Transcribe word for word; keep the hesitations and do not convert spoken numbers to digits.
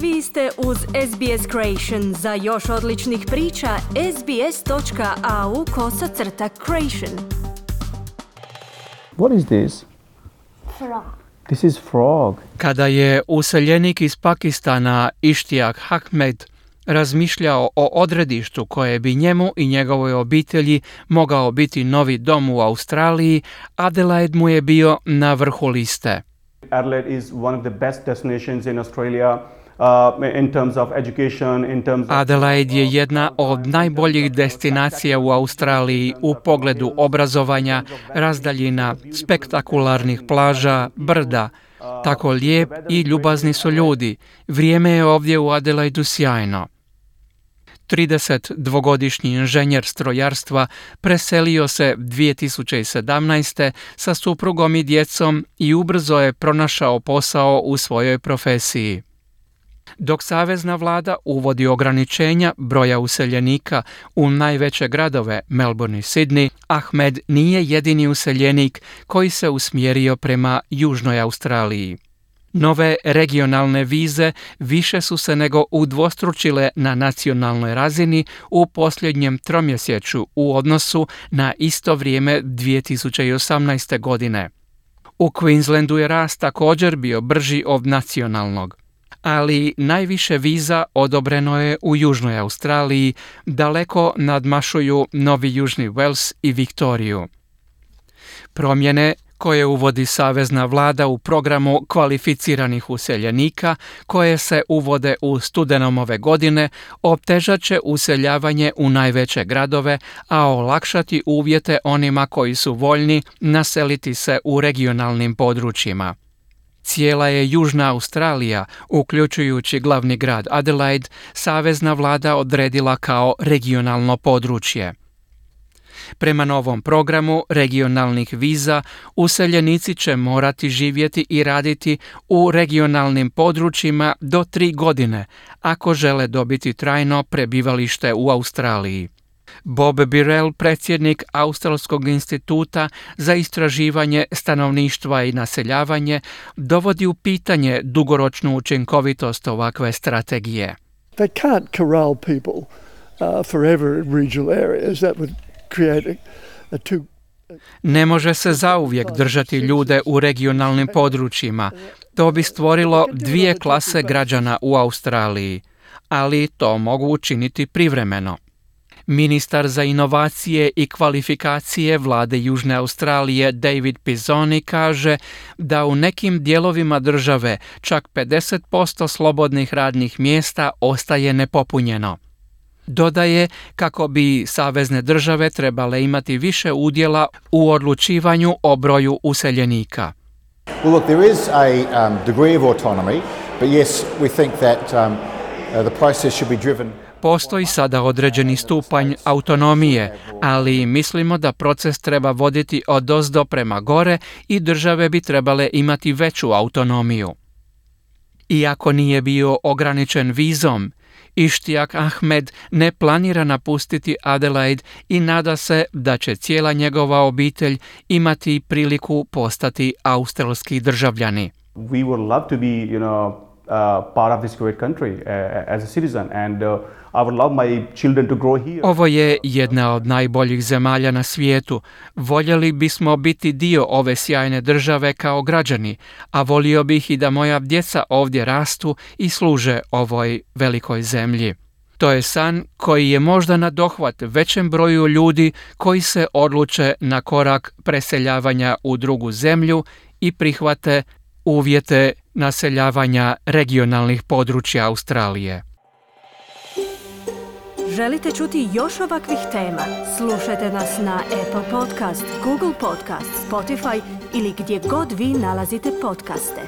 Vi ste uz S B S Creation. Za još odličnih priča, sbs.au kosacrta creation. What is this? Frog. This is frog. Kada je useljenik iz Pakistana Ishtiaq Ahmed razmišljao o odredištu koje bi njemu i njegovoj obitelji mogao biti novi dom u Australiji, Adelaide mu je bio na vrhu liste. Adelaide is one of the best destinations in Australia. Uh, in terms of education, in terms of... Adelaide je jedna od najboljih destinacija u Australiji u pogledu obrazovanja, razdaljina, spektakularnih plaža, brda. Tako lijep i ljubazni su ljudi. Vrijeme je ovdje u Adelaidu sjajno. tridesetdvogodišnji inženjer strojarstva preselio se dvije tisuće sedamnaeste. sa suprugom i djecom i ubrzo je pronašao posao u svojoj profesiji. Dok savezna vlada uvodi ograničenja broja useljenika u najveće gradove Melbourne i Sydney, Ahmed nije jedini useljenik koji se usmjerio prema Južnoj Australiji. Nove regionalne vize više su se nego udvostručile na nacionalnoj razini u posljednjem tromjesečju u odnosu na isto vrijeme dvije tisuće osamnaeste. godine. U Queenslandu je rast također bio brži od nacionalnog. Ali najviše viza odobreno je u Južnoj Australiji, daleko nadmašuju Novi Južni Wales i Viktoriju. Promjene koje uvodi savezna vlada u programu kvalificiranih useljenika, koje se uvode u studenom ove godine, otežat će useljavanje u najveće gradove, a olakšati uvjete onima koji su voljni naseliti se u regionalnim područjima. Cijela je Južna Australija, uključujući glavni grad Adelaide, savezna vlada odredila kao regionalno područje. Prema novom programu regionalnih viza, useljenici će morati živjeti i raditi u regionalnim područjima do tri godine, ako žele dobiti trajno prebivalište u Australiji. Bob Birrell, predsjednik Australskog instituta za istraživanje stanovništva i naseljavanje, dovodi u pitanje dugoročnu učinkovitost ovakve strategije. They can't corral people uh, forever in regional areas. That would create a, a too... Ne može se zauvijek držati ljude u regionalnim područjima. To bi stvorilo dvije klase građana u Australiji, ali to mogu učiniti privremeno. Ministar za inovacije i kvalifikacije vlade Južne Australije David Pizzoni kaže da u nekim dijelovima države čak pedeset posto slobodnih radnih mjesta ostaje nepopunjeno. Dodaje kako bi savezne države trebale imati više udjela u odlučivanju o broju useljenika. Well, look, there is a um, degree of autonomy, but yes, we think that um, uh, the process should be driven. Postoji sada određeni stupanj autonomije, ali mislimo da proces treba voditi odozdo prema gore i države bi trebale imati veću autonomiju. Iako nije bio ograničen vizom, Ishtiaq Ahmed ne planira napustiti Adelaide i nada se da će cijela njegova obitelj imati priliku postati australski državljani. We would love to be, you know, uh, part of this great country uh, as a citizen, and uh, I would love my children to grow here. Ovo je jedna od najboljih zemalja na svijetu. Voljeli bismo biti dio ove sjajne države kao građani, a volio bih i da moja djeca ovdje rastu i služe ovoj velikoj zemlji. To je san koji je možda na dohvat većem broju ljudi koji se odluče na korak preseljavanja u drugu zemlju i prihvate uvjete naseljavanja regionalnih područja Australije. Želite čuti još ovakvih tema? Slušajte nas na Apple Podcast, Google Podcast, Spotify ili gdje god vi nalazite podcaste.